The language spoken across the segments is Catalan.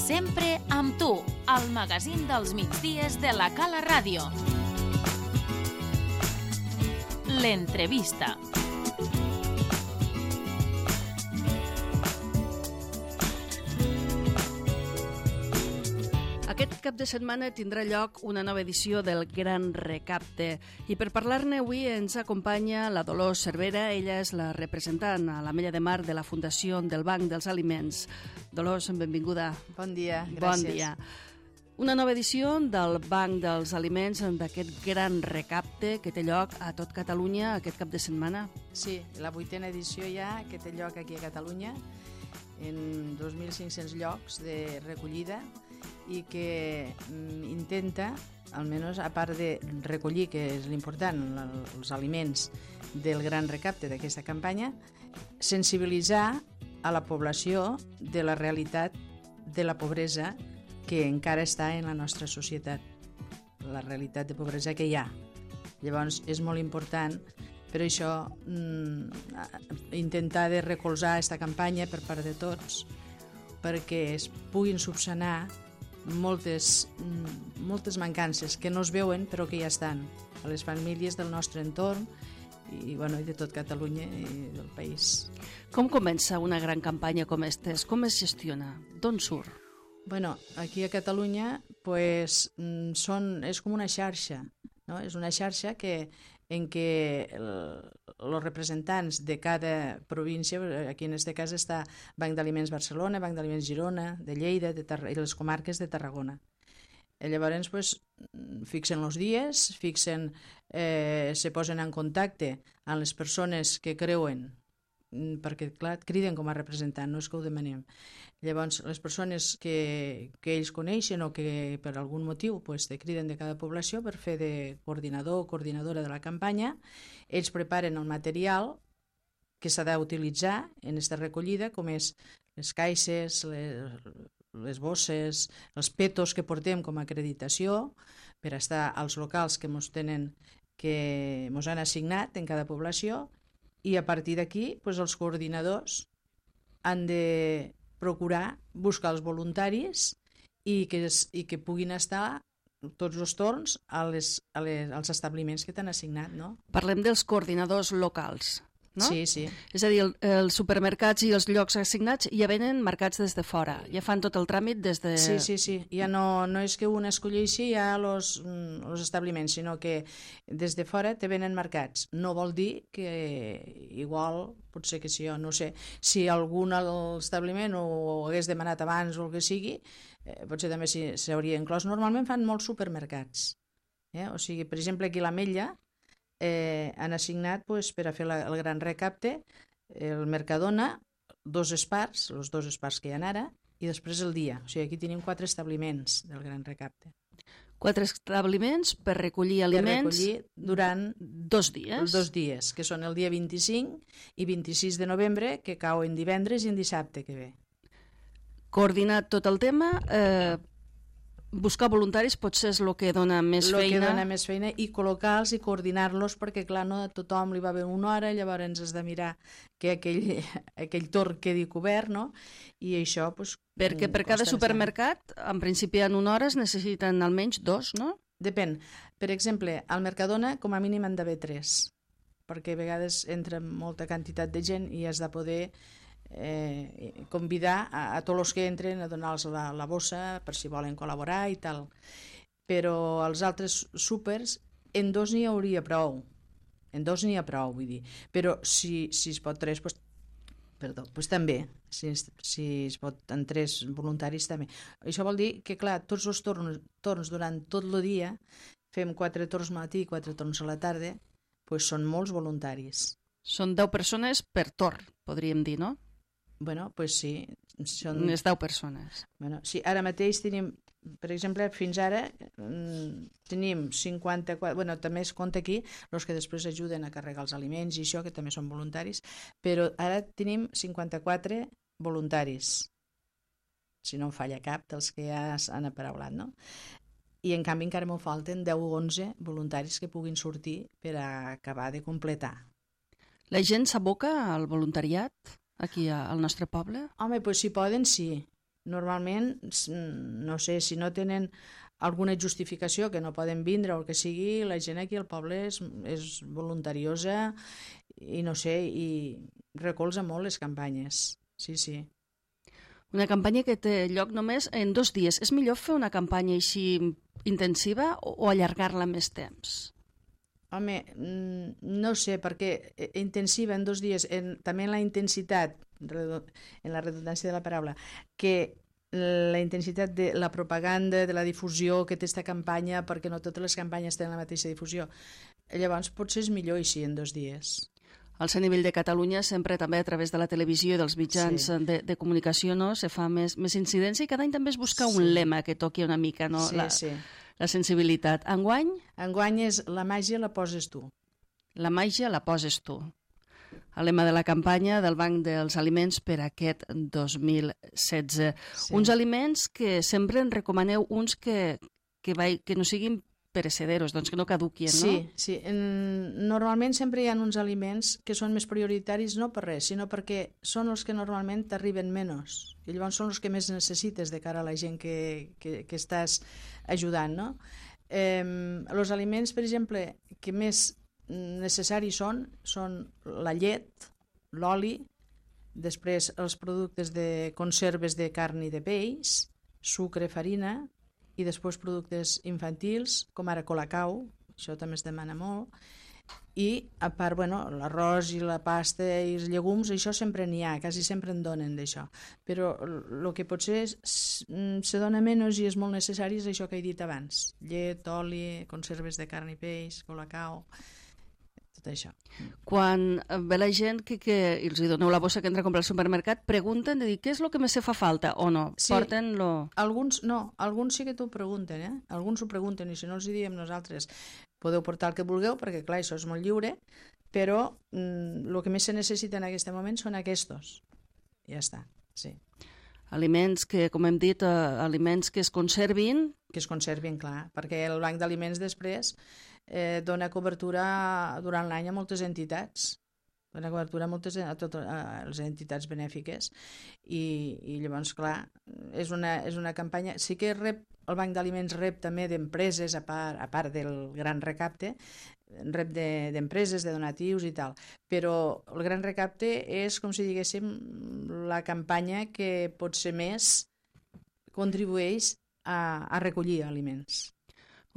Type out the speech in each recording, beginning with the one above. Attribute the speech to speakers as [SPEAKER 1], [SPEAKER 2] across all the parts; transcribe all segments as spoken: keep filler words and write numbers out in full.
[SPEAKER 1] Sempre amb tu, al magazín dels migdies de la Cala Ràdio. L'entrevista.
[SPEAKER 2] Aquest cap de setmana tindrà lloc una nova edició del Gran Recapte i per parlar-ne avui ens acompanya la Dolors Cervera. Ella és la representant a l'Ametlla de Mar de la Fundació del Banc dels Aliments. Dolors, benvinguda.
[SPEAKER 3] Bon dia, gràcies.
[SPEAKER 2] Bon dia. Una nova edició del Banc dels Aliments, d'aquest Gran Recapte que té lloc a tot Catalunya aquest cap de setmana.
[SPEAKER 3] Sí, la vuitena edició ja que té lloc aquí a Catalunya, en dos mil cinc-cents llocs de recollida, i que mm, intenta, almenys a part de recollir, que és l'important, els aliments del gran recapte d'aquesta campanya, sensibilitzar a la població de la realitat de la pobresa que encara està en la nostra societat, la realitat de pobresa que hi ha. Llavors és molt important per això mm, intentar de recolzar aquesta campanya per part de tots perquè es puguin subsanar moltes, moltes mancances que no es veuen però que ja estan a les famílies del nostre entorn i, bueno, i de tot Catalunya i del país.
[SPEAKER 2] Com comença una gran campanya com aquesta? Com es gestiona? D'on surt?
[SPEAKER 3] Bueno, aquí a Catalunya pues, són, és com una xarxa, no? És una xarxa que, en què els representants de cada província, aquí en aquest cas està Banc d'Aliments Barcelona, Banc d'Aliments Girona, de Lleida de Tar- i les comarques de Tarragona. I llavors pues, fixen els dies, fixen, eh, se posen en contacte amb les persones que creuen, perquè clar, criden com a representant, no és que ho demanem. Llavors les persones que, que ells coneixen o que per algun motiu pues, te criden de cada població per fer de coordinador o coordinadora de la campanya, ells preparen el material que s'ha d'utilitzar en aquesta recollida, com és les caixes, les, les bosses, els petos que portem com a acreditació per estar als locals que ens tenen, que ens han assignat en cada població. I a partir d'aquí pues, els coordinadors han de procurar buscar els voluntaris i que, es, i que puguin estar tots els torns a les, a les, als establiments que t'han assignat. No?
[SPEAKER 2] Parlem dels coordinadors locals, no?
[SPEAKER 3] Sí, sí.
[SPEAKER 2] És a dir, el, els supermercats i els llocs assignats ja venen marcats des de fora, ja fan tot el tràmit des de...
[SPEAKER 3] Sí, sí, sí. Ja no, no és que un escolleixi ja els establiments, sinó que des de fora te venen marcats. No vol dir que igual, potser que si jo no sé, si algun establiment ho hagués demanat abans o el que sigui, eh, potser també s'hauria inclòs. Normalment fan molts supermercats. Eh? O sigui, per exemple, aquí a l'Ametlla, Eh, han assignat pues, per a fer la, el gran recapte el Mercadona, dos espars, els dos espars que hi ha ara, i després el dia. O sigui, aquí tenim quatre establiments del gran recapte.
[SPEAKER 2] Quatre establiments per recollir aliments
[SPEAKER 3] per recollir durant
[SPEAKER 2] dos dies.
[SPEAKER 3] Els dos dies, que són el dia vint-i-cinc i vint-i-sis de novembre, que cau en divendres i en dissabte que ve.
[SPEAKER 2] Coordinat tot el tema... Eh, buscar voluntaris potser és el que dona més
[SPEAKER 3] lo
[SPEAKER 2] feina.
[SPEAKER 3] El que dona més feina i col·locar-los i coordinar-los perquè, clar, no a tothom li va bé una hora, llavors has de mirar que aquell, aquell torn quedi cobert, no? I això, doncs...
[SPEAKER 2] Perquè per cada supermercat, en principi en una hora es necessiten almenys dos, no?
[SPEAKER 3] Depèn. Per exemple, al Mercadona com a mínim han d'haver tres, perquè a vegades entra molta quantitat de gent i has de poder... Eh, convidar a, a tots els que entren a donar-los la, la bossa per si volen col·laborar i tal, però als altres súpers en dos n'hi hauria prou en dos n'hi ha prou, vull dir, però si, si es pot tres, pues, perdó, pues també si es, si es pot en tres voluntaris també. Això vol dir que clar, tots els torns, torns durant tot el dia fem quatre torns matí i quatre torns a la tarda, pues són molts voluntaris.
[SPEAKER 2] Són deu persones per torn, podríem dir, no?
[SPEAKER 3] Bueno, pues sí. Són...
[SPEAKER 2] Unes deu persones.
[SPEAKER 3] Bueno, sí, ara mateix tenim, per exemple, fins ara tenim cinquanta-quatre, bueno, també es compta aquí els que després ajuden a carregar els aliments i això, que també són voluntaris, però ara tenim cinquanta-quatre voluntaris, si no em falla cap dels que ja han aparaulat, no? I en canvi encara m'ho falten deu o onze voluntaris que puguin sortir per a acabar de completar.
[SPEAKER 2] La gent s'aboca al voluntariat aquí al nostre poble?
[SPEAKER 3] Home, doncs si poden, sí. normalment, no sé, si no tenen alguna justificació que no poden vindre o el que sigui, la gent aquí al poble és, és voluntariosa i no sé, i recolza molt les campanyes. Sí, sí.
[SPEAKER 2] Una campanya que té lloc només en dos dies. És millor fer una campanya així intensiva o allargar-la més temps?
[SPEAKER 3] Home, no sé, perquè intensiva en dos dies, en, també en la intensitat, en la redundància de la paraula, que la intensitat de la propaganda, de la difusió que té aquesta campanya, perquè no totes les campanyes tenen la mateixa difusió. Llavors, potser és millor així en dos dies.
[SPEAKER 2] Al ser a nivell de Catalunya, sempre també a través de la televisió i dels mitjans sí. de, de comunicació, no, se fa més, més incidència i cada any també es busca sí. un lema que toqui una mica, no?
[SPEAKER 3] Sí,
[SPEAKER 2] la,
[SPEAKER 3] sí.
[SPEAKER 2] La sensibilitat. Enguany?
[SPEAKER 3] Enguany és la màgia la poses tu.
[SPEAKER 2] La màgia la poses tu. El lema de la campanya del Banc dels Aliments per aquest dos mil setze. Sí. Uns aliments que sempre en recomaneu uns que, que, vai, que no siguin perecederos, doncs que no caduquien, no?
[SPEAKER 3] Sí, sí. Normalment sempre hi ha uns aliments que són més prioritaris no per res, sinó perquè són els que normalment t'arriben menys. I llavors són els que més necessites de cara a la gent que, que, que estàs ajudant, no? Eh, els aliments, per exemple, que més necessaris són, són la llet, l'oli, després els productes de conserves de carn i de peix, sucre, farina, i després productes infantils, com ara Colacau, això també es demana molt, i a part, bueno, l'arròs i la pasta i els llegums, això sempre n'hi ha, quasi sempre en donen d'això. Però el que potser és, se dona menys i és molt necessari és això que he dit abans, llet, oli, conserves de carn i peix, Colacau, tot això.
[SPEAKER 2] Quan ve la gent que, que els doneu la bossa que entra a comprar al supermercat, pregunten de dir què és el que més se fa falta o no?
[SPEAKER 3] Sí,
[SPEAKER 2] porten lo...
[SPEAKER 3] alguns no, alguns sí que t'ho pregunten, eh? Alguns ho pregunten i si no els hi diem nosaltres podeu portar el que vulgueu perquè clar, això és molt lliure, però mm, el que més se necessita en aquest moment són aquests. Ja està, sí.
[SPEAKER 2] Aliments que, com hem dit, eh, aliments que es conservin.
[SPEAKER 3] Que es conservin, clar, perquè el banc d'aliments després eh, dona cobertura durant l'any a moltes entitats, dona cobertura a, moltes, a totes a les entitats benèfiques i, i llavors, clar, és una, és una campanya... Sí que rep, el banc d'aliments rep també d'empreses, a part, a part del gran recapte, rep d'empreses, de, de donatius i tal, però el gran recapte és, com si diguéssim, la campanya que potser més contribueix a, a recollir aliments.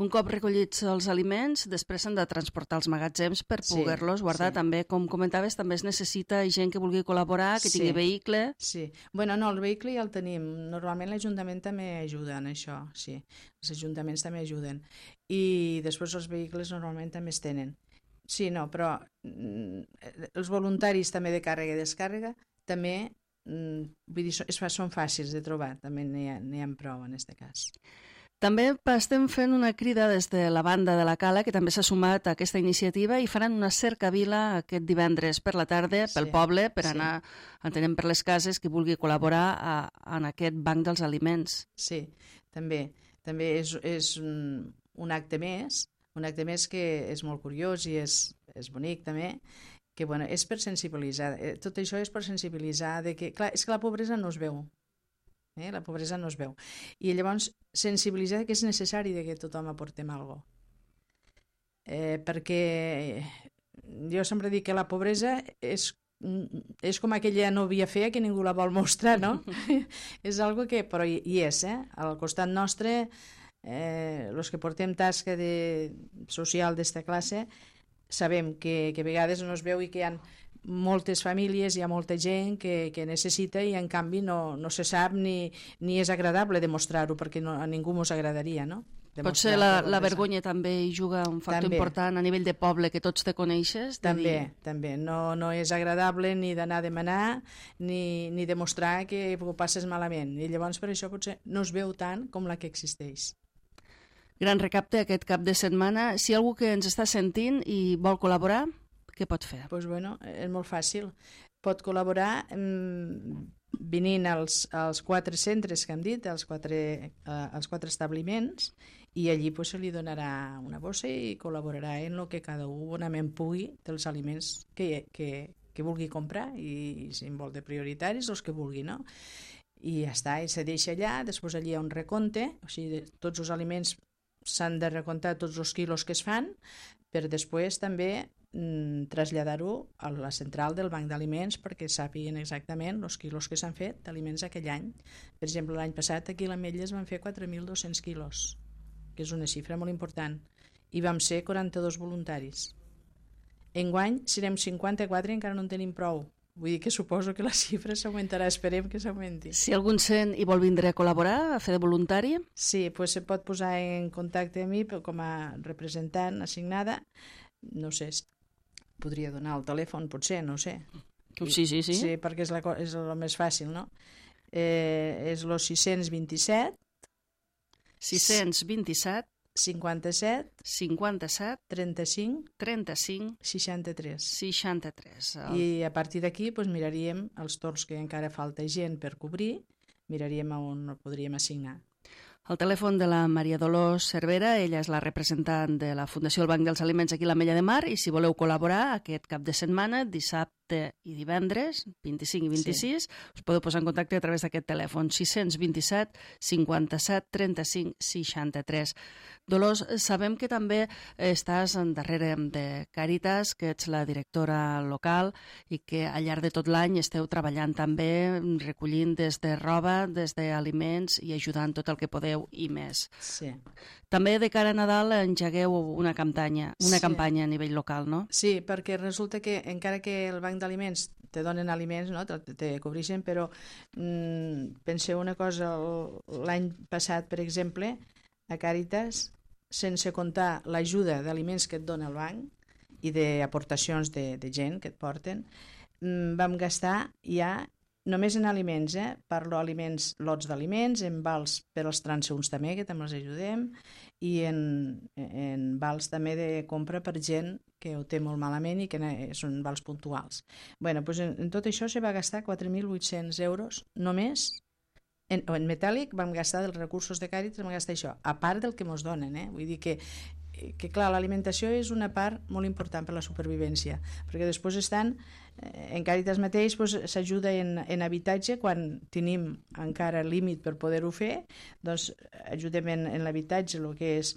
[SPEAKER 2] Un cop recollits els aliments, després s'han de transportar als magatzems per
[SPEAKER 3] Sí,
[SPEAKER 2] poder-los guardar.
[SPEAKER 3] sí.
[SPEAKER 2] També, com comentaves, també es necessita gent que vulgui col·laborar, que
[SPEAKER 3] Sí.
[SPEAKER 2] tingui vehicle.
[SPEAKER 3] Sí. Bueno, no, el vehicle ja el tenim. Normalment l'Ajuntament també ajuda en això, sí. Els ajuntaments també ajuden. I després els vehicles normalment també es tenen. Sí, no, però mm, els voluntaris també de càrrega i descàrrega també, mm, vull dir, són, són fàcils de trobar, també n'hi ha, n'hi ha prou en aquest cas.
[SPEAKER 2] També estem fent una crida des de la banda de la Cala, que també s'ha sumat a aquesta iniciativa, i faran una cercavila aquest divendres per la tarda pel
[SPEAKER 3] Sí,
[SPEAKER 2] poble per
[SPEAKER 3] sí.
[SPEAKER 2] anar entenent per les cases qui vulgui col·laborar a, en aquest banc dels aliments.
[SPEAKER 3] Sí, també. També és, és un, un acte més, un acte més que és molt curiós i és, és bonic també, que bueno, és per sensibilitzar. Eh, Tot això és per sensibilitzar de que, clar, és que la pobresa no es veu. Eh? La pobresa no es veu. I llavors sensibilitzar que és necessari de que tothom aportem alguna cosa. Eh, perquè jo sempre dic que la pobresa és, és com aquella nòvia fea que ningú la vol mostrar, no? És algo que, però hi, hi és, eh? Al costat nostre, eh, els que portem tasca de, social d'esta classe, sabem que, que a vegades no es veu i que hi ha moltes famílies, hi ha molta gent que, que necessita i en canvi no, no se sap ni, ni és agradable demostrar-ho perquè no, a ningú mos agradaria, no?
[SPEAKER 2] Potser la, la vergonya també hi juga un factor
[SPEAKER 3] També.
[SPEAKER 2] important a nivell de poble, que tots te coneixes. de
[SPEAKER 3] També,
[SPEAKER 2] dir-
[SPEAKER 3] també. No, no és agradable ni d'anar a demanar ni, ni demostrar que ho passes malament. I llavors per això potser no es veu tant com la que existeix.
[SPEAKER 2] Gran recapte aquest cap de setmana. Si algú que ens està sentint i vol col·laborar, què pot fer?
[SPEAKER 3] Doncs bueno, és molt fàcil. Pot col·laborar mmm, venint als, als quatre centres que hem dit, als quatre, eh, als quatre establiments, i allí pues, se li donarà una bossa i col·laborarà en el que cada un bonament pugui dels aliments que, que, que vulgui comprar i, i si en vol de prioritaris, els que vulgui, no? i ja està, i se deixa allà, després allà hi ha un recompte, o sigui, tots els aliments s'han de recomptar tots els quilos que es fan, per després també mm, traslladar-ho a la central del banc d'aliments perquè sàpiguen exactament els quilos que s'han fet d'aliments aquell any. Per exemple, l'any passat aquí a l'Ametlla es van fer quatre mil dos-cents quilos, que és una xifra molt important, i vam ser quaranta-dos voluntaris. Enguany serem cinquanta-quatre i encara no en tenim prou. Vull dir que suposo que la xifra s'augmentarà, esperem que s'augmenti.
[SPEAKER 2] Si algun sent i vol vindre a col·laborar, a fer de voluntari?
[SPEAKER 3] Sí, pues se pot posar en contacte amb mi com a representant assignada. No sé, podria donar el telèfon, potser, no ho sé.
[SPEAKER 2] Sí, sí, sí.
[SPEAKER 3] Sí, perquè és, la, és el més fàcil, no? Eh, és el sis-cents vint-i-set
[SPEAKER 2] sis-cents vint-i-set
[SPEAKER 3] cinquanta-set
[SPEAKER 2] cinquanta-set
[SPEAKER 3] trenta-cinc
[SPEAKER 2] trenta-cinc
[SPEAKER 3] seixanta-tres.
[SPEAKER 2] seixanta-tres. El...
[SPEAKER 3] I a partir d'aquí pues, miraríem els torns que encara falta gent per cobrir, miraríem on el podríem assignar.
[SPEAKER 2] El telèfon de la Maria Dolors Cervera, ella és la representant de la Fundació del Banc dels Aliments aquí a l'Ametlla de Mar, i si voleu col·laborar aquest cap de setmana, dissabte i divendres, vint-i-cinc i vint-i-sis, sí. Us podeu posar en contacte a través d'aquest telèfon, sis-cents vint-i-set cinquanta-set trenta-cinc seixanta-tres. Dolors, sabem que també estàs darrere de Càritas, que ets la directora local i que al llarg de tot l'any esteu treballant també recollint des de roba, des d'aliments i ajudant tot el que podeu i més.
[SPEAKER 3] Sí.
[SPEAKER 2] També de cara a Nadal engegueu una campanya, una
[SPEAKER 3] sí.
[SPEAKER 2] campanya a nivell local, no?
[SPEAKER 3] Sí, perquè resulta que encara que el banc d'aliments te donen aliments, no? te, te cobreixen, però mm, penseu una cosa, l'any passat, per exemple, a Càritas, sense comptar l'ajuda d'aliments que et dona el banc i d'aportacions de, de gent que et porten, mm, vam gastar ja només en aliments, eh? Parlo aliments, lots d'aliments, en vals per als transeünts també, que també els ajudem, i en, en vals també de compra per gent que ho té molt malament i que són vals puntuals. Bueno, doncs en, en tot això se va gastar quatre mil vuit-cents euros només. En, en metàl·lic vam gastar dels recursos de Càritas, vam gastar això, a part del que ens donen, eh? Vull dir que que clar, l'alimentació és una part molt important per la supervivència, perquè després estan, en Càritas mateix s'ajuda doncs, en, en habitatge quan tenim encara límit per poder-ho fer, doncs ajudem en, en l'habitatge, el que és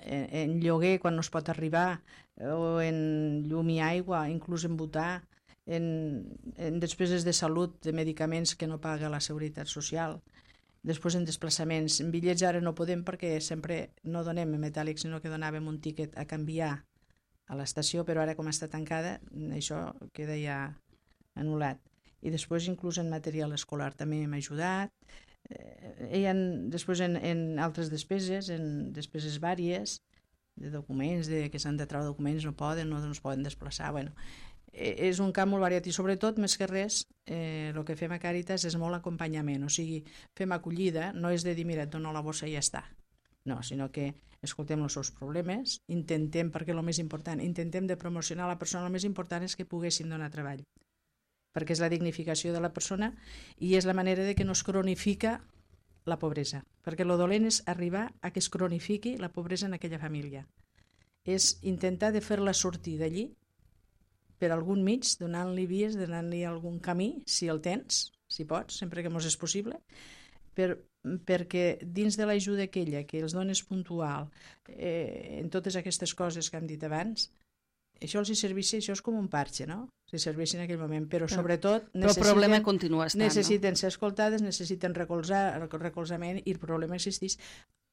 [SPEAKER 3] en, en lloguer quan no es pot arribar, o en llum i aigua, inclús en votar, en, en despeses de salut, de medicaments que no paga la Seguretat Social. Després en desplaçaments. En bitllets ara no podem perquè sempre no donem en metàl·lic, sinó que donàvem un tíquet a canviar a l'estació, però ara com està tancada, això queda ja anul·lat. I després inclús en material escolar també hem ajudat. Eh, ha, després en, en altres despeses, en despeses vàries, de documents, de, que s'han de treure documents, no poden, no, no es poden desplaçar, bueno... És un camp molt variat i sobretot, més que res, eh, el que fem a Càritas és molt acompanyament, o sigui, fem acollida, no és de dir, mira, et dono la bossa i ja està, no, sinó que escoltem els seus problemes, intentem, perquè el més important, intentem de promocionar la persona, el més important és que poguessin donar treball, perquè és la dignificació de la persona i és la manera de que no es cronifica la pobresa, perquè el dolent és arribar a que es cronifiqui la pobresa en aquella família, és intentar de fer-la sortir d'allí per algun mig, donant-li vies, donant-li algun camí, si el tens, si pots, sempre que mos és possible, per, perquè dins de l'ajuda aquella que els dones puntual, eh, en totes aquestes coses que hem dit abans, això els hi serveix, això és com un parxe, no? Si serveix en aquell moment, però sobretot
[SPEAKER 2] però el problema continua estant,
[SPEAKER 3] necessiten
[SPEAKER 2] no?
[SPEAKER 3] ser escoltades, necessiten recolzar, recolzament i el problema existeix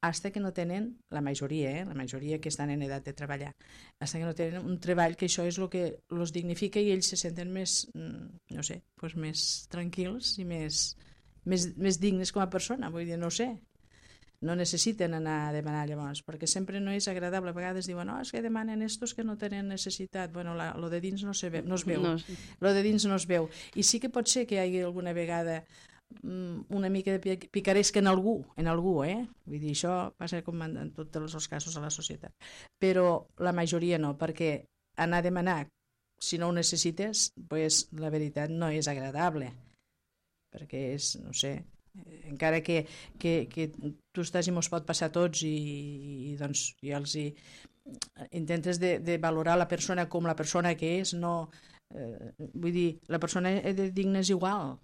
[SPEAKER 3] hasta que no tenen, la majoria, eh, la majoria que estan en edat de treballar, hasta que no tenen un treball que això és el que els dignifica i ells se senten més, no sé, pues més tranquils i més, més, més dignes com a persona, vull dir, no sé. No necessiten anar a demanar llavors, perquè sempre no és agradable. A vegades diuen, no, és que demanen estos que no tenen necessitat. Bueno, la, lo de dins no, se ve, no es veu. No. Lo de dins no es veu. I sí que pot ser que hi hagi alguna vegada una mica de picaresca en algú, en algú, eh? Vull dir, això passa com en tots els casos a la societat. Però la majoria no, perquè anar a demanar, si no ho necessites, pues, la veritat no és agradable, perquè és, no sé, encara que, que, que tu estàs i mos pot passar a tots i, i doncs ja els hi intentes de, de valorar la persona com la persona que és, no, eh, vull dir, la persona de digna és igual,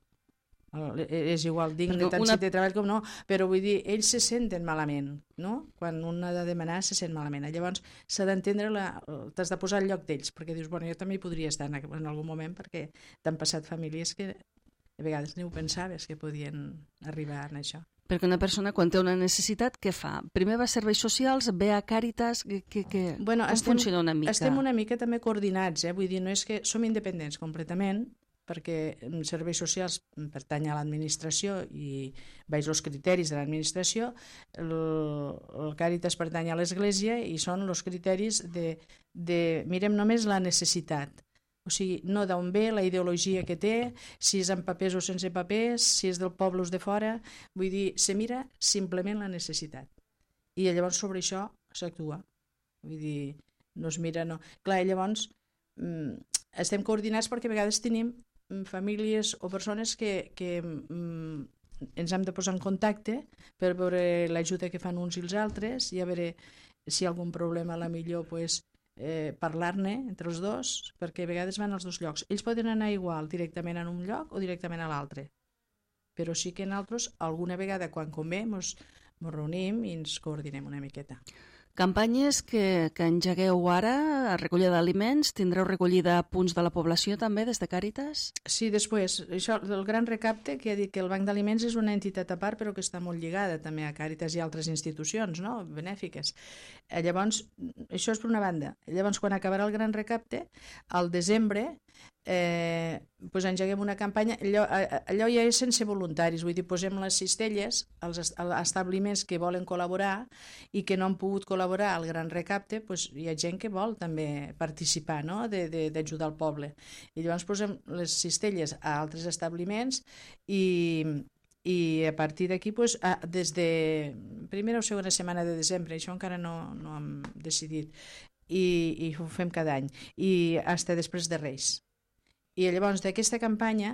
[SPEAKER 3] és igual digne tant una... si té treball com no, però vull dir, ells se senten malament, no? Quan un ha de demanar se sent malament. Llavors s'ha d'entendre, la... t'has de posar al lloc d'ells, perquè dius, bueno, jo també hi podria estar en, en algun moment, perquè t'han passat famílies que a vegades ni ho pensaves que podien arribar a això.
[SPEAKER 2] Perquè una persona, quan té una necessitat, què fa? Primer va a serveis socials, ve a Càritas, que, que, que...
[SPEAKER 3] Bueno,
[SPEAKER 2] com
[SPEAKER 3] estem,
[SPEAKER 2] funciona una mica?
[SPEAKER 3] Estem una mica també coordinats, eh? Vull dir, no és que som independents completament, perquè serveis socials pertany a l'administració i veig els criteris de l'administració, el, el Càritas pertany a l'Església i són els criteris de, de mirem només la necessitat. O sigui, no d'on ve, la ideologia que té, si és amb papers o sense papers, si és del poble o de fora, vull dir, se mira simplement la necessitat. I llavors sobre això s'actua. Vull dir, no es mira, no... Clar, llavors mm, estem coordinats perquè a vegades tenim famílies o persones que, que mm, ens hem de posar en contacte per veure l'ajuda que fan uns i els altres i a veure si hi ha algun problema, a la millor, pues, Eh, parlar-ne entre els dos, perquè a vegades van als dos llocs. Ells poden anar igual directament a un lloc o directament a l'altre, però sí que nosaltres alguna vegada quan convé ens reunim i ens coordinem una miqueta.
[SPEAKER 2] Campanyes que, que engegueu ara, a recollida d'aliments, tindreu recollida a punts de la població també des de Càritas?
[SPEAKER 3] Sí, després, això del Gran Recapte, que ha dit que el Banc d'Aliments és una entitat a part però que està molt lligada també a Càritas i altres institucions, no?, benèfiques. Eh, llavors, això és per una banda. Llavors, quan acabarà el Gran Recapte, al desembre, eh, pues engeguem una campanya, allò, allò ja és sense voluntaris, vull dir, posem les cistelles als establiments que volen col·laborar i que no han pogut col·laborar al Gran Recapte, pues hi ha gent que vol també participar, no?, d'ajudar el poble. I llavors posem les cistelles a altres establiments i, i a partir d'aquí, pues, des de primera o segona setmana de desembre, això encara no, no hem decidit, i, i ho fem cada any, i fins després de Reis. I llavors d'aquesta campanya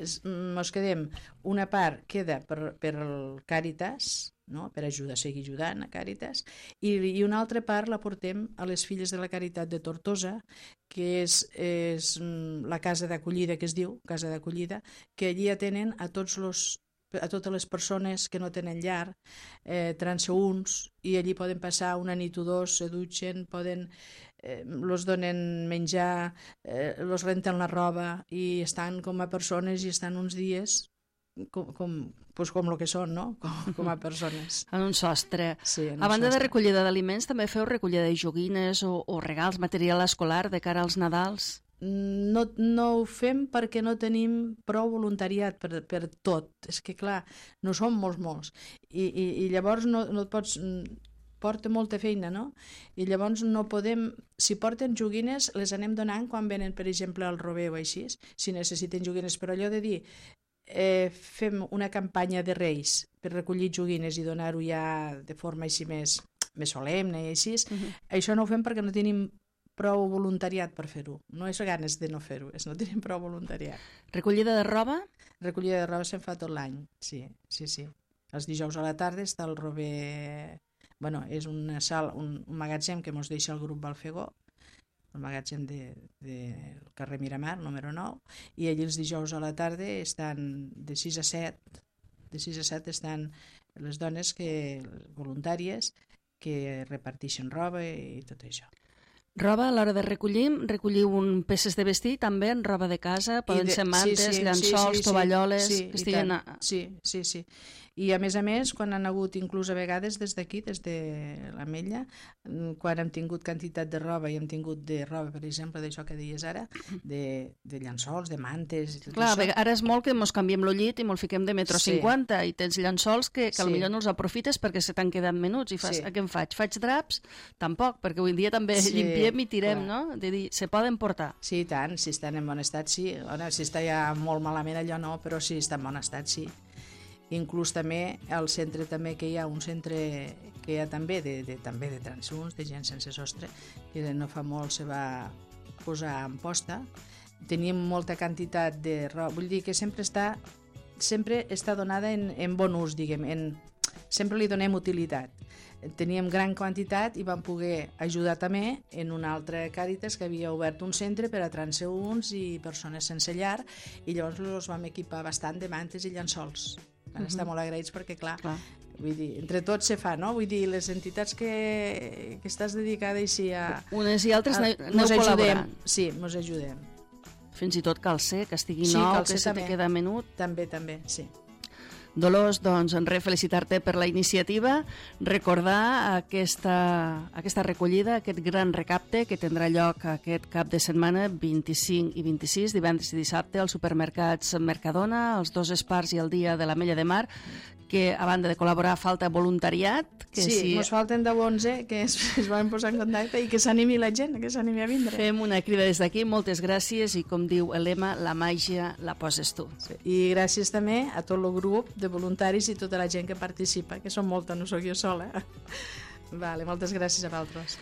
[SPEAKER 3] ens quedem, una part queda per, per el Càritas, no?, per ajudar, seguir ajudant a Càritas, i, i una altra part la portem a les Filles de la Caritat de Tortosa, que és, és la casa d'acollida que es diu, casa d'acollida, que allí atenen a tots los a totes les persones que no tenen llar, eh, transeünts, i allí poden passar una nit o dos, se dutxen, poden, eh, los donen menjar, eh, los renten la roba i estan com a persones i estan uns dies com, com, pues com el que són, no?, com, com a persones.
[SPEAKER 2] En un sostre.
[SPEAKER 3] Sí, en un
[SPEAKER 2] a banda
[SPEAKER 3] sostre.
[SPEAKER 2] de recollida d'aliments, també feu recollida de joguines o, o regals, material escolar de cara als Nadals?
[SPEAKER 3] No, no ho fem perquè no tenim prou voluntariat per, per tot. És que, clar, no som molts, molts. I, i, i llavors no, no et pots... porta molta feina, no? I llavors no podem... Si porten joguines, les anem donant quan venen, per exemple, al Rober o així, si necessiten joguines. Però allò de dir, eh, fem una campanya de Reis per recollir joguines i donar-ho ja de forma així més, més solemne i així, uh-huh. Això no ho fem perquè no tenim prou voluntariat per fer-ho. No és ganes de no fer-ho, és no tenim prou voluntariat.
[SPEAKER 2] Recollida de roba?
[SPEAKER 3] Recollida de roba se'n fa tot l'any, sí, sí, sí. Els dijous a la tarda està el Rober... Bueno, és una sala, un, un magatzem que ens deixa el grup Balfegó, el magatzem del de, de carrer Miramar, número nou, i allí els dijous a la tarda estan de sis a set, de sis a set estan les dones que, voluntàries que reparteixen roba i tot això.
[SPEAKER 2] Roba, a l'hora de recollir, recolliu un peces de vestir, també en roba de casa, poden de, ser mantes, sí, sí, llençols, sí, sí, tovalloles,
[SPEAKER 3] sí,
[SPEAKER 2] que estiguen... A...
[SPEAKER 3] Sí, sí, sí. I a més a més, quan han hagut, inclús a vegades des d'aquí, des de l'Ametlla, quan hem tingut quantitat de roba i hem tingut de roba, per exemple, d'això que deies ara, de, de llençols, de mantes... I tot
[SPEAKER 2] Clar,
[SPEAKER 3] això.
[SPEAKER 2] Ara és molt que mos canviem el llit i mos fiquem de metro
[SPEAKER 3] Sí.
[SPEAKER 2] cinquanta i tens llençols que, que
[SPEAKER 3] Sí.
[SPEAKER 2] potser no els aprofites perquè se t'han quedat menuts i fas,
[SPEAKER 3] Sí.
[SPEAKER 2] a què em faig? Faig draps? Tampoc, perquè avui en dia també
[SPEAKER 3] Sí,
[SPEAKER 2] llimpiem i tirem,
[SPEAKER 3] clar.
[SPEAKER 2] no? De dir, se poden portar.
[SPEAKER 3] Sí, i tant, si estan en bon estat, sí. Ara, si està ja molt malament, allò no, però si està en bon estat, sí. Inclús també al centre també que hi ha un centre que hi ha també de, de, també de transuns, de gent sense sostre, que no fa molt se va posar en posta. Tenim molta quantitat de roba, vull dir que sempre està, sempre està donada en, en bon ús, diguem, en, sempre li donem utilitat. Teníem gran quantitat i vam poder ajudar també en un altre Càritas que havia obert un centre per a transeünts i persones sense llar, i llavors els vam equipar bastant de mantes i llençols. Van estar molt agraïts perquè, clar, clar. Vull dir, entre tots se fa, no? Vull dir, les entitats que, que estàs dedicada així a...
[SPEAKER 2] Unes i altres
[SPEAKER 3] a,
[SPEAKER 2] aneu col·laborant.
[SPEAKER 3] Sí, ens ajudem.
[SPEAKER 2] Fins i tot calcer, que estigui
[SPEAKER 3] sí,
[SPEAKER 2] nou,
[SPEAKER 3] calcer
[SPEAKER 2] que se te queda menut.
[SPEAKER 3] També, també, sí.
[SPEAKER 2] Dolors, doncs, res, felicitar-te per la iniciativa, recordar aquesta, aquesta recollida, aquest gran recapte que tindrà lloc aquest cap de setmana, vint-i-cinc i vint-i-sis, divendres i dissabte, als supermercats Mercadona, els dos Espars i el Dia de l'Ametlla de Mar, que a banda de col·laborar falta voluntariat. Que
[SPEAKER 3] sí,
[SPEAKER 2] si...
[SPEAKER 3] ens falten deu onze que es, es van posar en contacte i que s'animi la gent, que s'animi a vindre.
[SPEAKER 2] Fem una crida des d'aquí, moltes gràcies, i com diu el lema, la màgia la poses tu.
[SPEAKER 3] Sí. I gràcies també a tot el grup de voluntaris i tota la gent que participa, que són molta, no sóc jo sola. Vale, moltes gràcies a vosaltres.